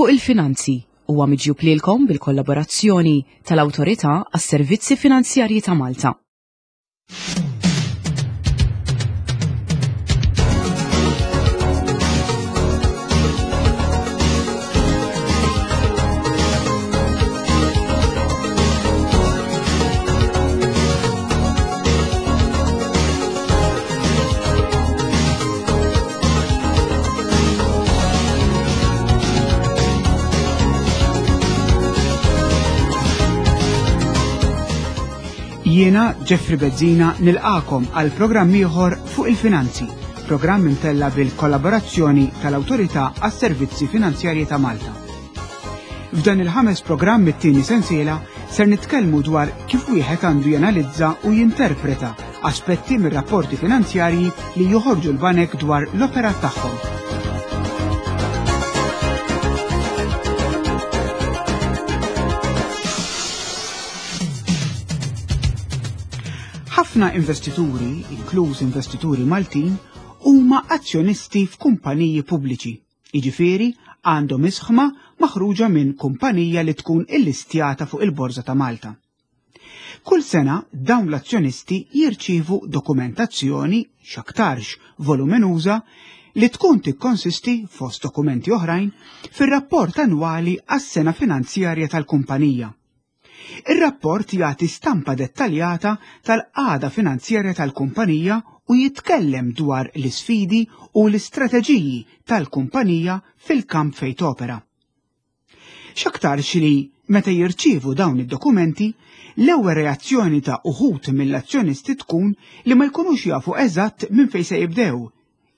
Fuq il-Finanzi huwa miġjub lilkom bil-kollaborazzjoni tal-Awtorità għas-Servizzi Finanzjarji ta' Malta. Jiena Jeffrey Bezzina nilqakom għal programm ieħor fuq il-finanzi, programm imtella bil-kollaborazzjoni tal-Awtorità għas-Servizzi Finanzjarji ta' Malta. F'dan il-ħames programm it-tieni sensiela ser nitkellmu dwar kif wieħed għandu janalizza u jinterpreta aspetti mir-rapporti finanzjarji li joħorġu l-banek dwar l-operat tagħhom. Ħafna investituri, inkluż investituri Maltin, huma azzjonisti f'kumpaniji pubbliċi. Jiġifieri għandhom isħma maħruġa minn kumpanija li tkun illistjata fuq il-Borża ta' Malta. Kull sena dawn l-azzjonisti jirċievu dokumentazzjoni x'aktarx voluminuża li tkun tikkonsisti fost dokumenti oħrajn fir-rapport annwali għas-sena finanzjarja tal-kumpanija. Ir-rapport jagħti stampa dettaljata tal-qagħda finanzjarja tal-kumpanija u jitkellem dwar l-isfidi u l-istrateġiji tal-kumpanija fil-kamp fejn topera. X'aktarx li meta jirċievu dawn id-dokumenti, l-ewwel reazzjoni ta' uħud mill-azzjonisti tkun li ma jkunux jafu eżatt minn fejn se jibdew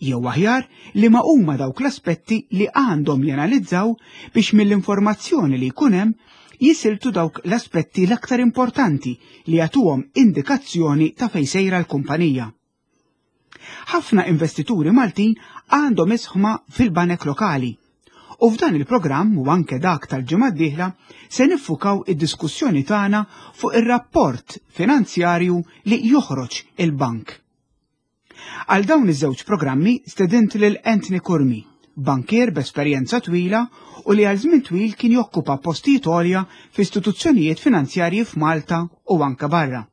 jew aħjar liema huma dawk l-aspetti li għandhom janalizzaw biex mill-informazzjoni li jkun hemm jisiltu dawk l-aspetti l-aktar importanti li jagħtuhom indikazzjoni ta' fejn sejra l-kumpanija. Ħafna investituri Maltin għandhom isħma fil-banek lokali u f'dan il-programm u anke dak tal-ġimgħa d-dieħla se niffukaw id-diskussjoni tagħna fuq ir-rapport finanzjarju li joħroġ il-bank. Għal dawn iż-żewġ programmi stedint lil Anthony Curmi, bankier b'esperjenza twila u li għal żmien twil kien jokkupa postijiet għolja f'istituzzjonijiet finanzjarji f'Malta u anke barra.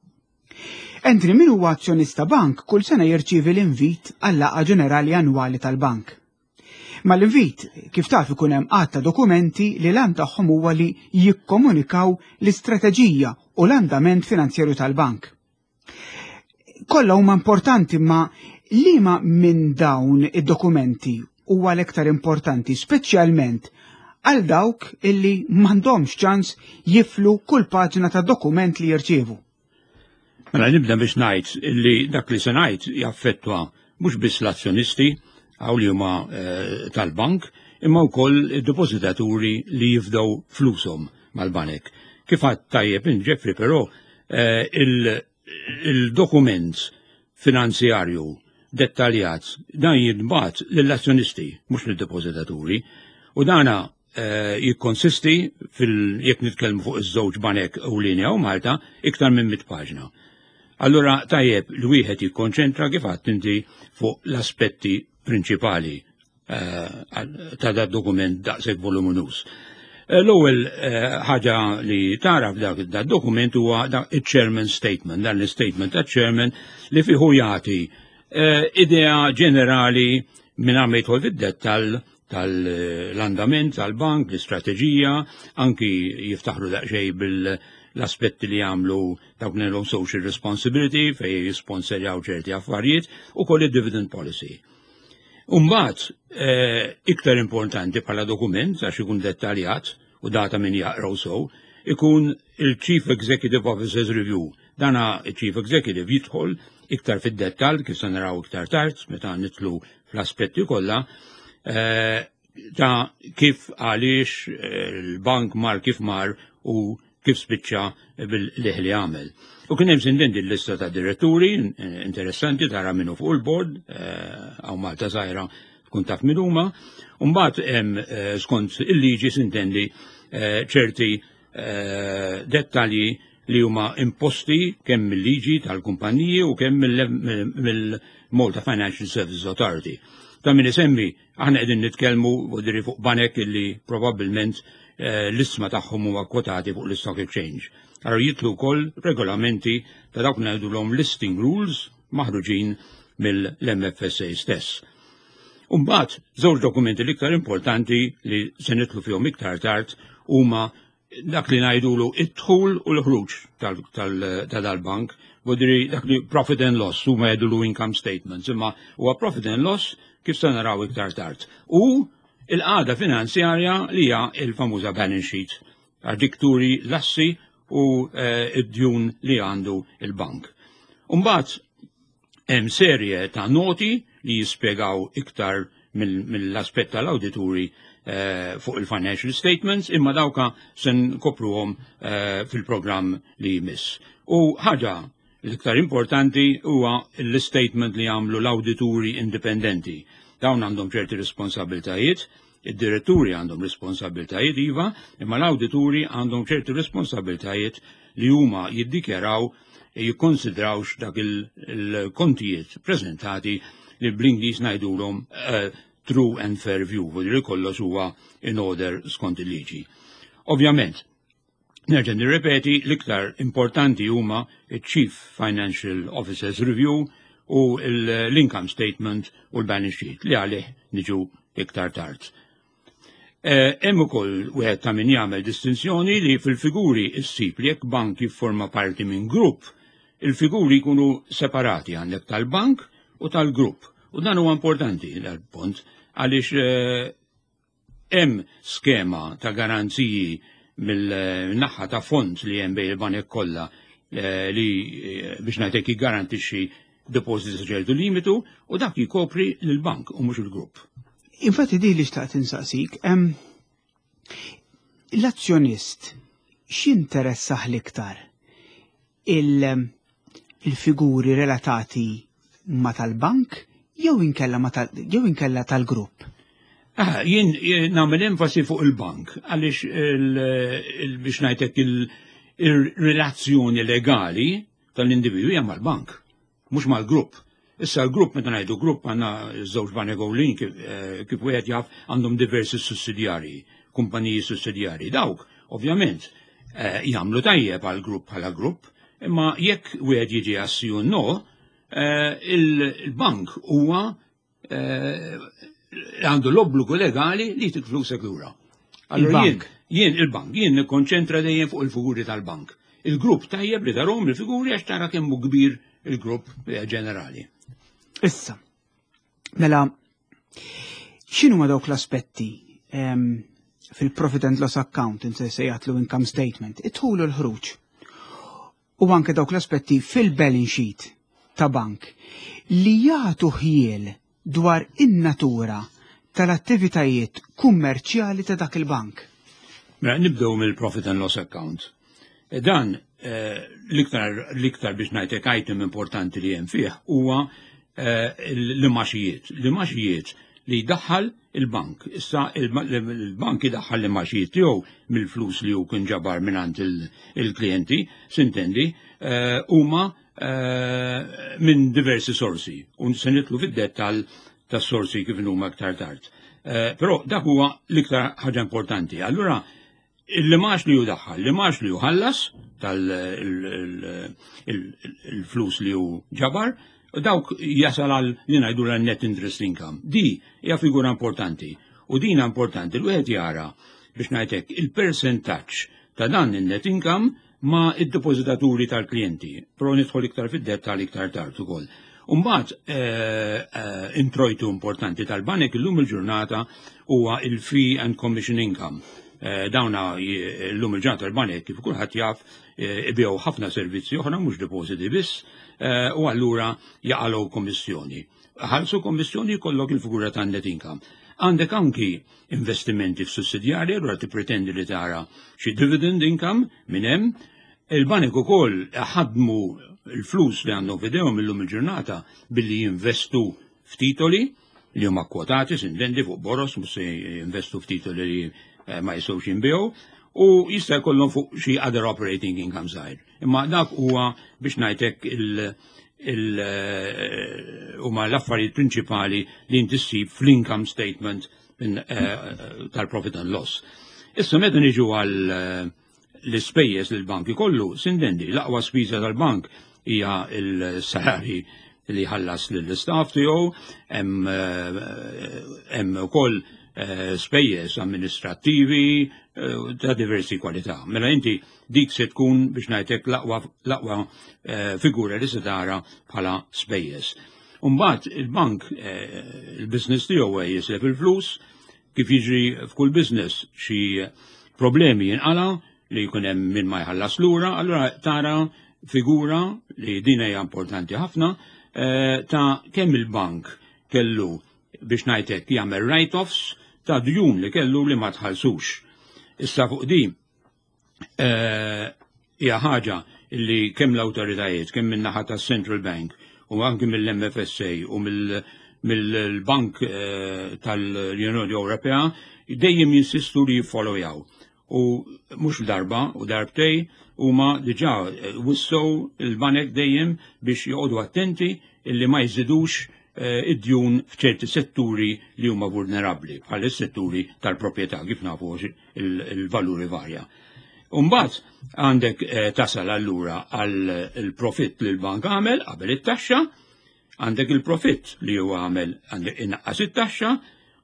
Anthony min huwa azzjonista bank kull sena jirċievi l-invit għal-laqgħa ġenerali annwali tal-bank. Mal-invit, kif taf ikun hemm għadd ta' dokumenti li l-għan tagħhom huwa li jikkomunikaw l-istrateġija u l-andament finanzjarju tal-bank. Kollha huma importanti ma liema minn dawn id-dokumenti huwa l-iktar importanti, speċjalment għal dawk illi m'għandhomx ċans jiflu kull paġna ta' dokument li jirċievu. Mela nibda biex ngħid illi dak li se ngħid jaffettwa mhux biss l-azzjonisti għaw li huma eh, tal-bank, imma wkoll id-depożitaturi li jifdaw flushom mal-banek. Kif għad tajjeb in Jeffrey però eh, il-dokument finanzjarju dettaljat dan jintbagħat lill-azzjonisti mhux lid-depożitaturi u dana eh, jikkonsisti fil jekk nitkellmu fuq iż-żewġ banek ewlieni hawn Malta iktar minn mit paġna. Allura tajjeb li wieħed jikkonċentra kif għadt inti fuq l-aspetti prinċipali Eh, ta' da dokument daqshekk voluminus. Eh, l-ewwel eh, ħaġa li tara f'dak da dokument huwa il-chairman statement, dan l-statement ta' chairman li fiħu jagħti idea ġenerali minn ma jidħol fid-dettall tal-andament tal-bank, l-istrateġija, anki jiftaħru daqsxejn bil-aspetti li jagħmlu dawk li social responsibility fej jisponserjaw ċerti affarijiet u koll id-dividend policy. Umbagħad, eh, iktar importanti bħala dokument, għax ikun dettaljat u data min jaqraw sew, ikun il-Chief Executive Officer's Review. Dana il-Chief Executive jidħol iktar fid-dettall kif se naraw iktar tard meta nitlu fl-aspetti kollha eh, ta' kif għaliex eh, il-bank mar kif mar u kif spiċċa bil-liħ li għamel. U kien hemm sindendi l-lista ta' diretturi interessanti tara minnu fuq il-bord, eh, għaw Malta żgħira tkun taf min huma, u mbagħad hemm eh, skont il-liġi sintendi eh, ċerti dettalji li huma imposti kemm mill-liġi tal-kumpaniji u kemm mill-Malta Financial Services Authority. Ta' min isemmi, aħna qegħdin nitkellmu vodiri fuq banek illi probabbilment eh, l-isma tagħhom huma kwotati fuq l-Stock Exchange. Allora jitlu wkoll regolamenti ta' dawk ngħidulhom listing rules maħruġin mill-MFSA stess. Umbagħad, żewġ dokumenti l-iktar importanti li se nitlu fihom iktar tard huma dak li ngħidulu id-dħul u l-ħruġ ta' dal-bank, vodiri dak li profit and loss, huma jgħidulu income statements, imma huwa profit and loss kif se naraw iktar tard. U il-qagħda finanzjarja li hija il-famuża balance sheet, għax dik turi l-assi u eh, id-djun li għandu il-bank. Umbagħad Hemm serje ta' noti li jispjegaw iktar mill-aspett tal-awdituri eh, fuq il-financial statements imma dawka se nkopruhom eh, fil-programm li jmiss. U ħaġa l-iktar importanti huwa l-statement li jagħmlu l-awdituri indipendenti. Dawn għandhom ċerti responsabiltajiet, id-diretturi għandhom responsabiltajiet iva, imma l-awdituri għandhom ċerti responsabiltajiet li huma jiddikjaraw jikkonsidrawx dak il-kontijiet prezentati li bl-Ingliż ngħidulhom eh, true and fair view, li kollox huwa in order skont il-liġi. Ovvjament, nerġa' nirrepeti l-iktar importanti huma chief Financial Officers Review u l-income statement u l-balance sheet li għalih niġu iktar tard. Eh, hemm ukoll wieħed ta' min jagħmel distinzjoni li fil-figuri ssib li jekk bank jifforma parti minn grupp, il-figuri jkunu separati għandek tal-bank u tal-grupp. U dan huwa importanti dal-punt għaliex eh, hemm skema ta' garanziji mill-naħa ta' fond li hemm bejn il-banek kollha eh, li biex ngħidlek jiggarantixxi deposits sa ċertu limitu u dak jikopri lill-bank u mhux il-grupp. Infatti di li xtaqt insaqsik, l-azzjonist x'interessah l-iktar il-figuri relatati ma tal-bank jew inkella ma tal jew inkella tal-grupp? Ah, jien nagħmel enfasi fuq il-bank għaliex biex ngħidlek il-relazzjoni legali tal-individwu hija mal-bank, mhux mal-grupp. Issa l-grupp meta ngħidu grupp għandna żewġ banek ewlenin kif, eh, kif wieħed jaf għandhom diversi sussidjarji, kumpaniji sussidjarji. Dawk, ovvjament, eh, jagħmlu tajjeb għal grupp bħala grupp, imma jekk wieħed jiġi għas no, eh, il-bank huwa Eh, għandu l-obbligu legali li jtik flusek lura. Allora jien, jien il-bank, jien nikkonċentra dejjem fuq il-figuri tal-bank. Il-grupp tajjeb li tarhom il-figuri għax tara kemm hu kbir il-grupp eh, ġenerali. Issa, mela, x'inhu ma dawk l-aspetti ehm, fil-profit and loss account, inti se jgħatlu income statement, it-ħulu l-ħruġ. u anke dawk l-aspetti fil-balance sheet ta' bank li jagħtu ħjiel dwar in-natura tal-attivitajiet kummerċjali ta' dak il-bank. Mela nibdew mill-profit and loss account. E dan eh, l-iktar l-iktar biex ngħidlek item importanti li hemm fih huwa eh, l-imaxijiet. L-imaxijiet li jdaħħal il-bank. Issa il-bank idaħħal l-imaxijiet tiegħu mill-flus li hu kien ġabar mingħand il-klijenti, sintendi, eh, huma eh, minn diversi sorsi. U se nitlu fid-dettall tas-sorsi kif huma aktar tard. Eh, però dak huwa l-iktar ħaġa importanti. Allura Il-limax li hu daħħal, l-limax li hu ħallas tal-flus li hu ġabar, dawk jasal għal li ngħidu l net interest income. Di hija figura importanti. U din importanti li wieħed jara biex ngħidlek il-persentaġġ ta' dan il-net income ma' id-depożitaturi tal-klijenti, però nidħol iktar fid-dettall iktar tard ukoll. Umbagħad eh, eh, introjtu importanti tal-banek illum il-ġurnata huwa il-fee and commission income. Eh, dawna illum il-ġurnata tal-banek kif kulħadd jaf ibigħu ħafna servizzi oħra mhux depositi biss u allura jaqalgħu kommissjoni. Ħalsu kommissjoni jkollok il-figura ta' net income. Għandek anki investimenti f'sussidjarji, allura tippretendi li tara xi dividend income minn hemm. Il-banek ukoll ħadmu l-flus li għandhom f'idejhom illum il-ġurnata billi jinvestu f'titoli li huma kwotati, sintendi fuq boros, mhux se jinvestu f'titoli li eh, ma jistgħux jinbiegħu u jista' jkollhom fuq xi other operating income żgħir. Imma dak huwa biex ngħidlek Huma l-affarijiet prinċipali li inti ssib fl-income statement tal-profit and loss. Issa meta niġu għal l-ispejjeż li l-bank ikollu, sintendi, l-aqwa spiża tal-bank hija l-salari li ħallas lill-istaff tiegħu, hemm ukoll spejjeż amministrattivi ta' diversi kwalità. Mela inti dik se tkun biex ngħidlek l-aqwa figura li se tara bħala spejjeż. Umbagħad il-bank, il-business tiegħu jislef il-flus, kif jiġri f'kull business xi problemi jinqala li jkun hemm min ma jħallas lura, allura tara figura li din hija importanti ħafna ta' kemm il-bank kellu biex ngħidlek jagħmel write-offs ta' djun li kellu li ma tħallsux. Issa fuq di hija ħaġa li kemm l-awtoritajiet, kemm min-naħa tas-Central Bank u anki mill-MFSA u mill-Bank tal-Unjoni Ewropea dejjem jinsistu li jiffollowjaw. U mhux darba u darbtej huma diġà wissew il-banek dejjem biex joqogħdu attenti illi ma jżidux id-djun f'ċerti setturi li huma vulnerabbli, bħal is-setturi tal-proprjetà kif nafu il-valuri varja. Umbagħad għandek tasal allura għal il-profitt li l-bank għamel qabel it-taxxa, għandek il-profitt li huwa għamel għandek innaqqas it-taxxa,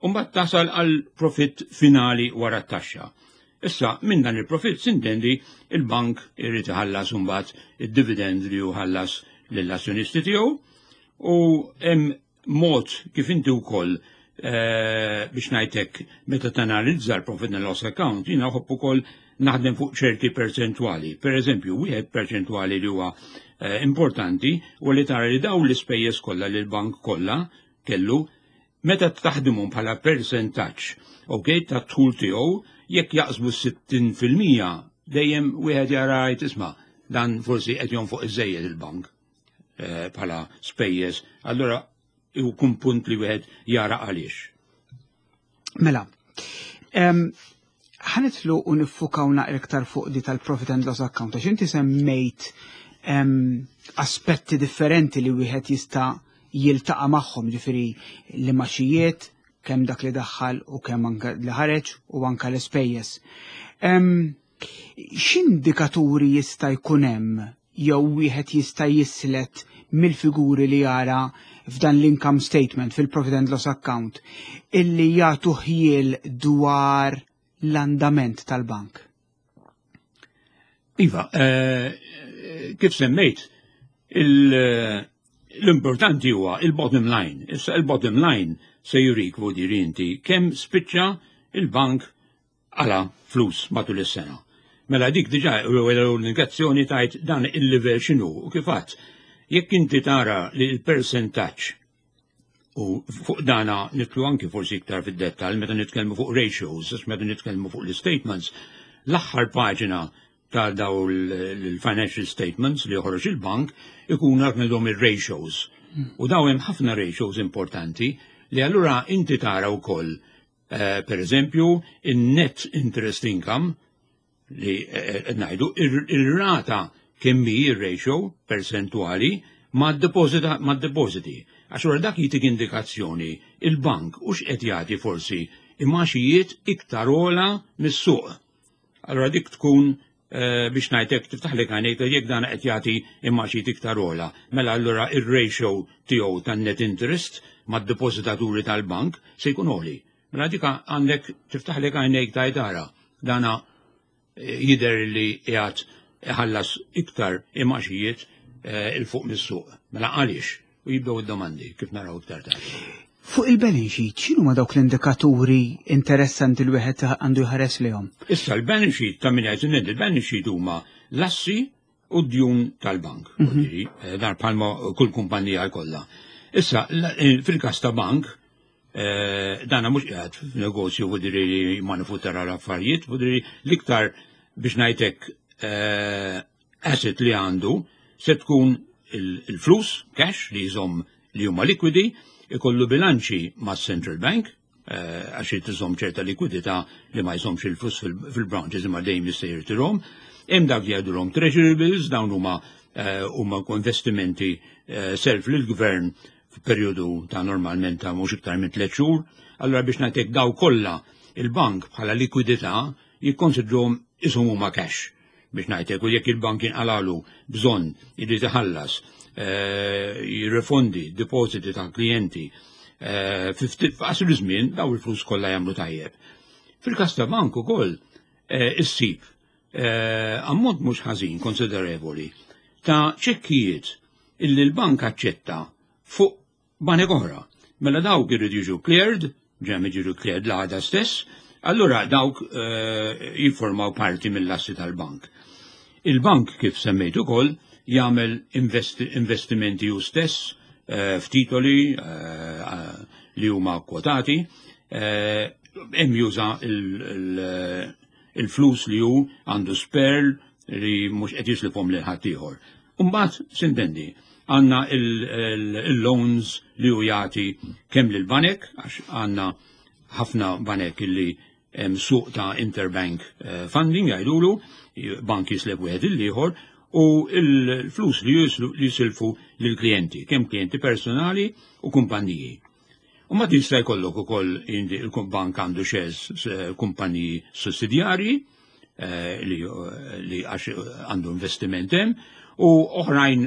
u mbagħad tasal għal profitt finali wara t-taxxa. Issa, minn dan il-profitt sintendi il-bank irid iħallas imbagħad id-dividend li hu ħallas lill-azzjonisti tiegħu u hemm mod kif inti wkoll biex ngħidlek meta tanalizza l-profit and loss account, jiena nħobb ukoll naħdem fuq ċerti perċentwali. Per eżempju, wieħed perċentwali li huwa importanti u li tara li dawn l-ispejjeż kollha li l-bank kollha kellu meta taħdimhom bħala percentaġġ, ok, ta' dħul tiegħu, jekk jaqsbu 60% dejjem wieħed jara jgħid isma' dan forsi qed jonfoq iżejjed il-bank bħala spejjeż, allura jkun punt li wieħed jara għaliex. Mela, ħa nidħlu u niffukaw naqra iktar fuq di tal-profit and loss account, għax inti semmejt aspetti differenti li wieħed jista' jiltaqa' magħhom, ġifieri l-imgħaxijiet, kemm dak li daħħal u kemm anke li ħareġ u anke l-ispejjeż. X'indikaturi jista' jkun hemm jew wieħed jista' jislet mill-figuri li jara f'dan l-income statement fil-profit and loss account illi jagħtu ħjiel dwar l-andament tal-bank? Iva, kif semmejt, l-importanti huwa il-bottom line. Issa il-bottom line se jurik vuol inti kemm spiċċa il-bank għala flus matul is-sena. Mela dik diġà l-indikazzjoni tajt dan il-livell x'inhu u kif għadt. Jekk inti tara li l-percentaġġ u fuq dana nidħlu anki forsi iktar fid-dettal meta nitkellmu fuq ratios, għax meta nitkellmu fuq l-statements, l-aħħar paġna ta' daw l-financial statements li joħroġ il-bank ikun għandhom il-ratios. U daw hemm ħafna ratios importanti li allura inti tara wkoll per eżempju, in-net interest income li ngħidu ir-rata kemm hi ir-ratio percentuali ma' depositi. Għax wara dak jitik indikazzjoni il-bank u x'qed jagħti forsi imgħaxijiet iktar ola mis-suq. Allora dik tkun biex ngħidlek tiftaħlek għajnejk jekk dan qed jagħti imgħaxijiet iktar ola. Mela allura ir-ratio tiegħu tan-net interest mad-depożitaturi tal-bank se jkun għoli. Mela dik għandek tiftaħlek għajnejk tgħid dana jidher li qiegħed iħallas iktar imgħaxijiet 'il fuq mis-suq. Mela għaliex? U jibdew id-domandi kif naraw iktar tard. Fuq il-balance sheet, x'inhu ma dawk l-indikaturi interessanti li wieħed għandu jħares lejhom? Issa l-balance sheet ta' min jgħid il-balance sheet huma l-assi u d-djun tal-bank. Dan bħalma kull kumpanija jkollha. Issa, fil-każ ta' bank, dana mhux qiegħed f'negozju vuol li manifattura l-affarijiet, vuol l-iktar biex ngħidlek asset li għandu se tkun il-flus, cash li jżomm li huma likwidi, ikollu bilanċi ma' Central Bank, għax irid iżomm ċerta likwidità li ma jżommx il-flus fil-branches imma dejjem jista' jirtirhom. Hemm dak li jgħidulhom treasury bills, dawn huma huma investimenti self lill-gvern f'perjodu ta' normalment ta' mhux iktar minn 3 xhur. Allura biex ngħidlek daw kollha il-bank bħala likwidità jikkonsidruhom ishom huma cash biex ngħidlek u jekk il-bank jinqalalu bżonn irid iħallas jirrifondi depositi ta' klijenti f'qasir żmien daw il-flus kollha jagħmlu tajjeb. Fil-każ ta' bank ukoll issib ammont mhux ħażin konsiderevoli ta' ċekkijiet illi l-bank aċċetta fuq banek oħra. Mela dawk irridu jiġu cleared, ġem jiġu cleared l-għada stess, allura dawk jiffurmaw parti mill-assi tal-bank. Il-bank kif semmejt ukoll jagħmel investimenti hu stess f'titoli li huma kwotati, hemm juża il-flus li hu għandu spare li mhux qed jislifhom lil ħaddieħor. Imbagħad sintendi għandna il-loans li hu jagħti kemm lil banek għax għandna ħafna banek illi hemm suq ta' interbank funding jgħidulu, bank jislef wieħed il-ieħor u l-flus li jisilfu lill-klijenti, kemm klijenti personali u kumpaniji. U ma tista' jkollok ukoll il-bank għandu shares kumpaniji sussidjarji li għax għandu investiment hemm u oħrajn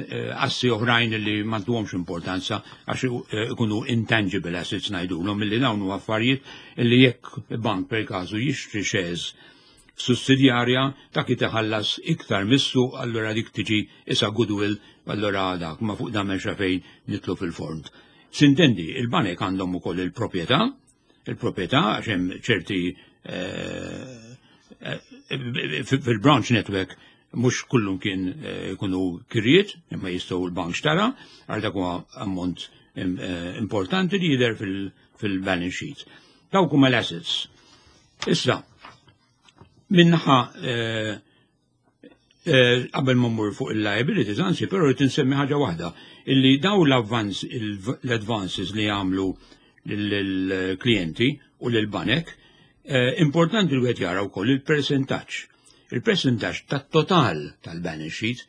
assi oħrajn li m'għandhomx importanza għax ikunu intangible assets ngħidulhom milli dawn huwa affarijiet li jekk bank per każu jixtri shares sussidjarja dak iħallas iktar missu allura dik tiġi isa goodwill allura dak ma fuq dan m'hemmx fejn nitlu fil-fond. Sintendi, il-banek għandhom ukoll il-proprjetà, il-proprjetà għax hemm ċerti fil-branch network mhux kullum kien ikunu kirjiet, imma jistgħu l-bank xtara, għal dak huwa ammont importanti li jidher fil-balance sheet. Dawk huma l-assets. Issa, minnaħa qabel ma mmur fuq il-liabilities, anzi, però rrid insemmi ħaġa waħda, illi daw l-advances li jagħmlu lill-klijenti u lill-banek, importanti li wieħed jara wkoll il-percentaġġ. Il-percentaġġ tat-total tal-balance sheet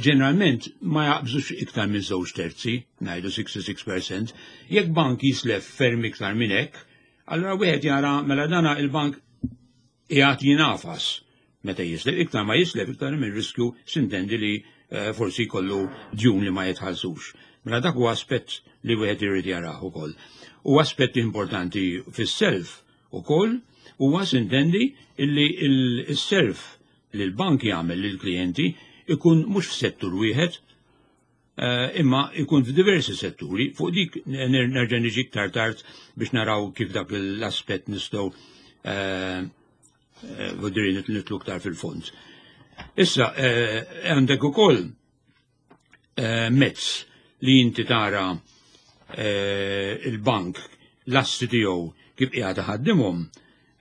ġeneralment ma jaqbżux iktar minn 2/3, ngħidu 66%. Jekk bank jislef ferm iktar minn hekk, allura wieħed jara mela dana il-bank qiegħed jinafas meta jislef, iktar ma jislef iktar minn riskju sintendi li forsi jkollu djun li ma jitħallsux. Mela dak huwa aspett li wieħed irid jarah ukoll. U aspett importanti fis-self ukoll huwa sintendi illi il-self li l-bank jagħmel lill-klijenti ikun mhux f'settur wieħed, imma ikun f'diversi setturi. Fuq dik nerġa' niġi iktar tard biex naraw kif dak l-aspett nistgħu vodri nitlu iktar fil-fond. Issa, għandek ukoll mezz li inti tara il-bank l-assi tiegħu kif qiegħed iħaddimhom,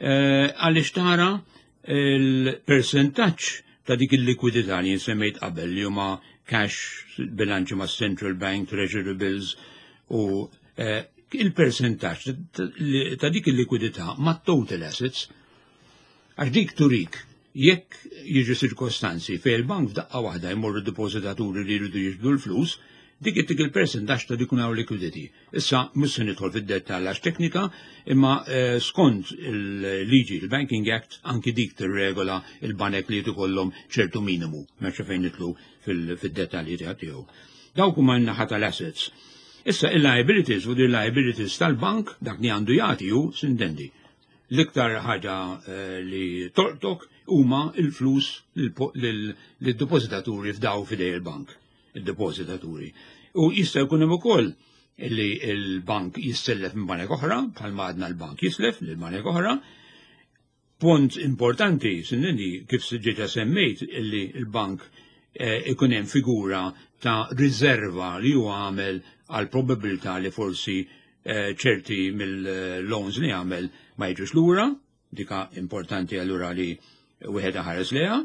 għaliex tara il-percentaġġ ta' dik il-likwidità li semmejt qabel li huma cash, bilanċi ma' Central Bank, Treasury Bills u il-percentaġġ ta' dik il-likwidità ma' total assets, għax dik turik jekk jiġu ċirkostanzi fejn il-bank f'daqqa waħda jmorru depozitaturi li jridu jiġbdu l-flus, dik ittik il-percentaġġ ta' dik hawn liquidity. Issa mhux se nidħol fid-dettall għax teknika, imma skont il-liġi, il-Banking Act, anki dik tirregola il-banek li jkollhom ċertu minimu, m'hemmx fejn nidħlu fid-dettalji tiegħu. Dawk huma n-naħa tal-assets. Issa il-liabilities u liabilities tal-bank dak li għandu jagħti hu sintendi. L-iktar ħaġa li tolqtok huma il-flus lid-depozitaturi f'daw f'idej il-bank, il-depozitaturi. U jista' jkun hemm ukoll li l-bank jissellef minn banek oħra, bħalma għadna l-bank jislef lil banek oħra. Punt importanti, sintendi, kif diġà semmejt, illi l-bank ikun hemm figura ta' riserva li huwa għamel għal probabilità li forsi ċerti mill-loans li għamel ma jiġux lura, dika importanti allura li wieħed ħares leha.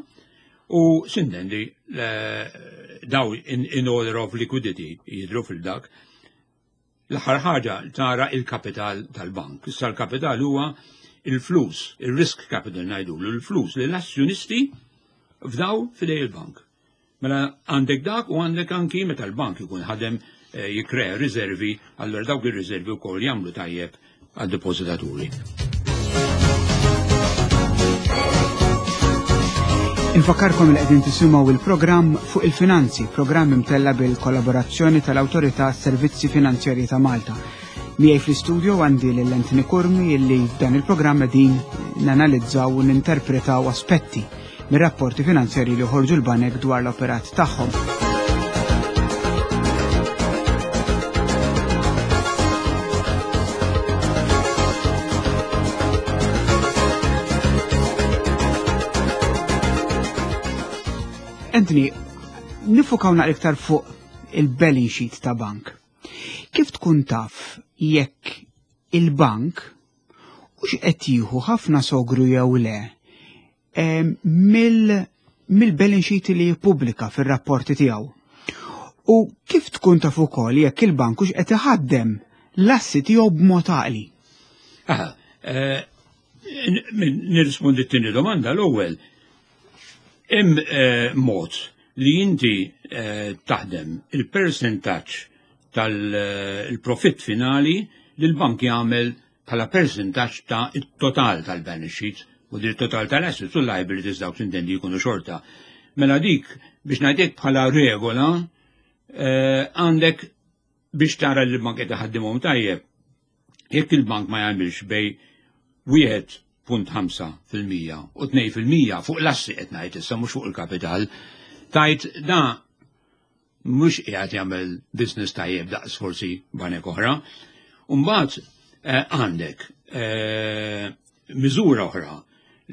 U sintendi daw in order of liquidity jidru fil-dak. L-aħħar ħaġa tara il-kapital tal-bank. Issa l-kapital huwa il-flus, il-risk capital ngħidulu, il-flus li l-azzjonisti fdaw f'idej il-bank. Mela għandek dak u għandek anki meta l-bank ikun ħadem eh, jikkrea riservi, allura dawk ir-riservi wkoll jagħmlu tajjeb għad-depożitaturi. Infakkarkom li qegħdin tisimgħu il-programm fuq il-finanzi, programm imtella bil-kollaborazzjoni tal-Awtorità Servizzi Finanzjarji ta' Malta. Miegħi fl-istudio għandi lil Anthony Curmi illi f'dan il-programm qegħdin nanalizzaw u ninterpretaw aspetti mir-rapporti finanzjarji li joħorġu l-banek dwar l-operat tagħhom. Anthony, nifukaw naqra iktar fuq il-balance sheet ta' bank. Kif tkun taf jekk il-bank u x'qed jieħu ħafna sogru jew le mill-balance sheet li jippubblika fir-rapporti tiegħu. U kif tkun taf ukoll jekk il-bank hux qed iħaddem l-assi tiegħu b'mod għaqli? Aha, eh, nirrispondi t-tieni domanda l-ewwel. Hemm eh, mod li inti eh, taħdem il-persentaġġ tal-profitt finali li l-bank jagħmel bħala persentaġġ ta' it-total tal-balance sheet u dir total tal-assets u liabilities dawk tintendi jkunu xorta. Mela dik biex ngħidlek bħala regola eh, għandek biex tara li l-bank qed iħaddimhom tajjeb. Jekk il-bank ma jagħmilx bej 1.5% u 2% fuq l-assi qed ngħid issa mhux fuq il-kapital, tajt da mhux qiegħed jagħmel business tajjeb daqs forsi banek oħra. Umbagħad eh, għandek eh, miżura oħra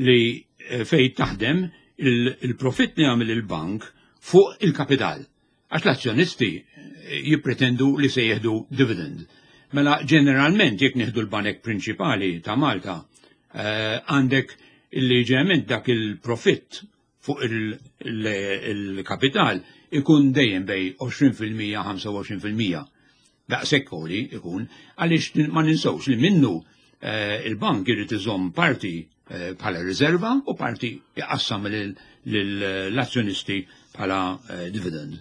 li eh, fejn taħdem il-profitt li jagħmel il-bank fuq il-kapital. Għax l-azzjonisti jippretendu li se jieħdu dividend. Mela ġeneralment jekk nieħdu l-banek prinċipali ta' Malta għandek illi ġeneralment dak il-profitt fuq il-kapital ikun dejjem bej 20% 25%. Daqshekk għoli ikun għaliex ma ninsewx li minnu eh, il-bank irid iżomm parti eh, bħala riserva u parti jqassam lill-azzjonisti bħala eh, dividend.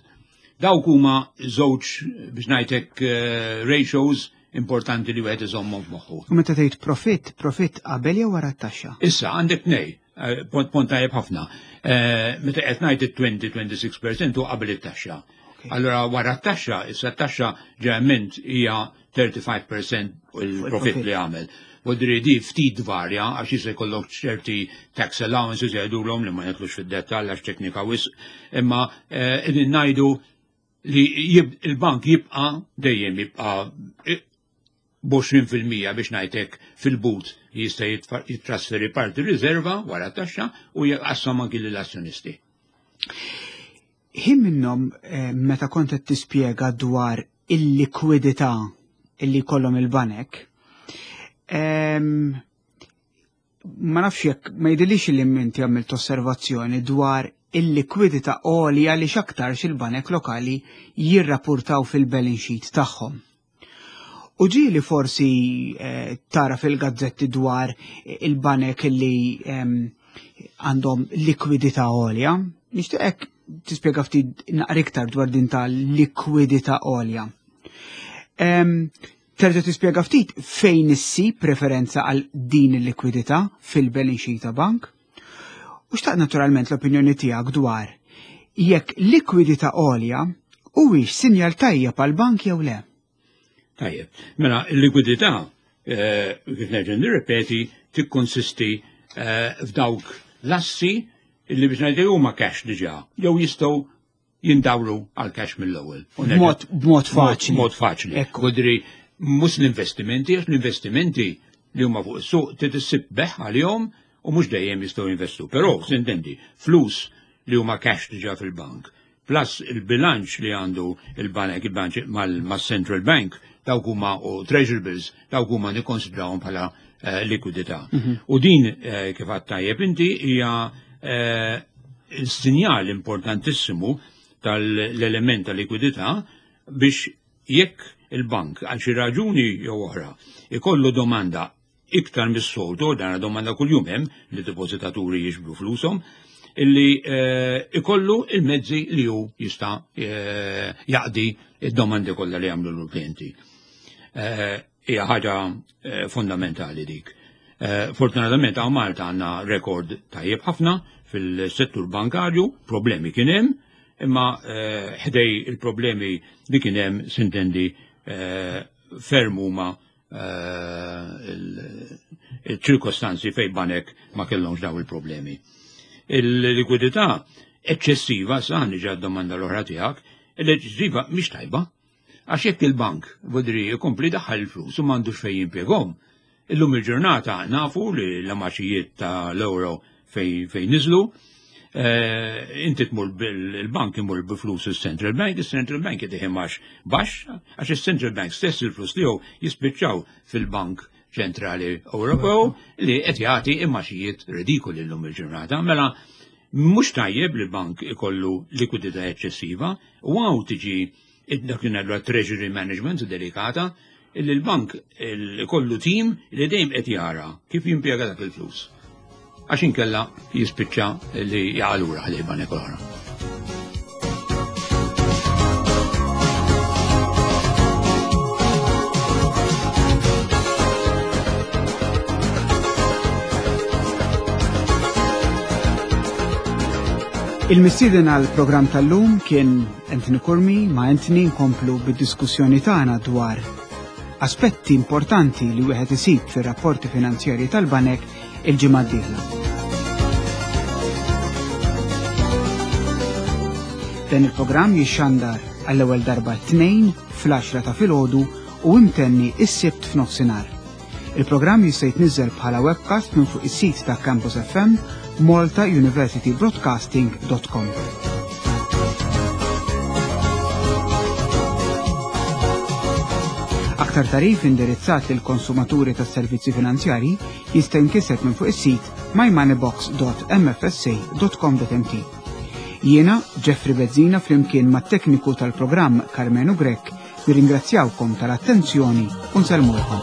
Dawk huma żewġ biex ngħidlek ratios importanti li wieħed iżommhom f'moħħu. U meta tgħid profitt, profitt qabel jew wara t-taxxa? Issa għandek tnej, eh, punt tajjeb ħafna. Eh, meta qed ngħid it-20-26% u qabel it-taxxa. Allora wara t-taxxa, issa t-taxxa ġeneralment hija 35% il-profitt li għamel. Vodri di ftit varja għax jista' jkollok ċerti tax allowances jgħidulhom li ma jidħlux fid-dettall għax teknika wisq, imma eh, qegħdin ngħidu li il-bank jibqa' dejjem jibqa' b'20% biex ngħidlek fil-but jista' jittrasferi parti riserva wara taxxa u jqassam anki lill-azzjonisti. Ħin minnhom eh, meta kont qed tispjega dwar il-likwidità illi jkollhom il-banek, ehm, ma nafx jekk ma jidhirlix li inti għamilt osservazzjoni dwar il-likwidità għolja li x'aktarx il-banek lokali jirrapportaw fil-balance sheet tagħhom. U ġieli forsi eh, tara fil-gazzetti dwar il-banek li ehm, għandhom likwidità għolja. Nixtieqek tispjega ftit naqra iktar dwar din ta' likwidità għolja. Ehm, Terġa' tispjega ftit fejn issib preferenza għal din il-likwidità fil-balance sheet ta' bank? U xtaqt naturalment l-opinjoni tiegħek dwar jekk likwidità għolja huwiex sinjal tajjeb għal bank jew le. Tajjeb, mela il-likwidità eh, kif nerġa' nirrepeti tikkonsisti eh, f'dawk l-assi li biex ngħidu huma cash diġà jew jistgħu jindawru għal cash mill-ewwel. B'mod faċli. Mod faċli. Kodri mhux l-investimenti, għax l-investimenti li huma fuq is-suq trid issib beħ għalihom u mhux dejjem jistgħu jinvestu. Però, sintendi, flus li huma cash diġà fil-bank, plus il-bilanċ li għandu il-banek il-bank mal-Central Bank, dawk huma u treasury bills, dawk huma nikkonsidrawhom bħala eh, likwidità. Mhm. U din eh, kif għadt tajjeb inti hija eh, sinjal importantissimu tal-element ta' likwidità biex jekk il-bank għal xi raġuni jew oħra ikollu domanda iktar mis-soltu, dan domanda kuljum hemm li depozitaturi jiġbru flushom, illi eh, ikollu il-mezzi li hu jista' eh, jaqdi id-domandi kollha li jagħmlu l-klijenti. Eh, hija ħaġa fundamentali dik. Fortunatament hawn Malta għandna rekord tajjeb ħafna fil-settur bankarju, problemi kien hemm, imma ħdej il-problemi li kien hemm sintendi ferm huma il-ċirkostanzi fej banek ma kellhomx daw il-problemi. Il-likwidità eċċessiva, sa niġi domanda l-oħra tiegħek, l-eċċessiva mhix tajba. Għax jekk il-bank vodri jkompli daħħal il-flus u m'għandux fejn jimpjegahom, illum il-ġurnata nafu li l-amaxijiet ta' l-euro fejn niżlu, eh, inti tmur il-bank imur bi flus il-Central Bank, il-Central Bank jtih imgħax baxx, għax il-Central Bank stess il-flus tiegħu jispiċċaw fil-Bank Ċentrali Ewropew li qed jagħti imgħaxijiet ridikoli llum il-ġurnata. Mela mhux tajjeb li bank ikollu likwidità eċċessiva u hawn tiġi dak li ngħidu treasury management delikata illi l-bank ikollu tim li dejjem qed jara kif jimpjega dak il-flus. Għax inkella jispiċċa li jaqa' lura ħdej banek oħra. Il-mistieden għal programm tal-lum kien Anthony Curmi ma' Anthony nkomplu bid-diskussjoni tagħna dwar aspetti importanti li wieħed isib fir-rapporti finanzjarji tal-banek il-ġimgħa d-dieħla. Dan il-programm jixxandar għall-ewwel darba t-tnejn fl-10 ta' filgħodu u imtenni is-sibt f'nofsinhar. Il-programm jista' jitniżżel bħala webcast minn fuq is-sit ta' Campus FM maltauniversitybroadcasting.com. Aktar tarif indirizzat lil konsumaturi tas servizzi finanzjari jista' jinkiseb minn fuq is-sit mymoneybox.mfsa.com.mt. Jiena Jeffrey Bezzina flimkien mat-tekniku tal-programm Carmenu Grech Nirringrazzjawkom tal-attenzjoni u nsellmulkom.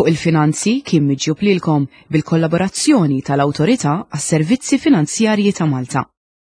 Fuq il-finanzi kien miġjub lilkom bil-kollaborazzjoni tal-Awtorità għas-Servizzi Finanzjarji ta' Malta.